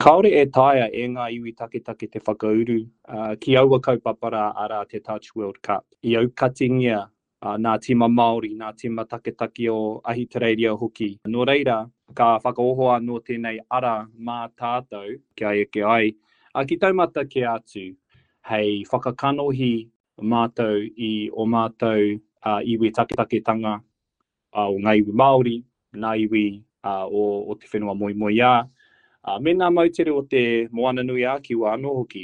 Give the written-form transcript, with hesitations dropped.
Kāore e taea e ngā iwi taketake te whakauru ki aua kaupapa rā, arā, te Touch World Cup. I aukatingia nā tīma Māori, nā tīma taketake o Ahitereiria hoki. Nō reira, ka whakaoho anō tēnei ara mā tātou kia eke ai ki taumata kē atu hei whakakanohi mātou i ō mātou iwi taketaketanga o ngā iwi Māori, ngā iwi o te whenua moemoeā, me ngā moutere o te Moananui-ā-Kiwa anō hoki.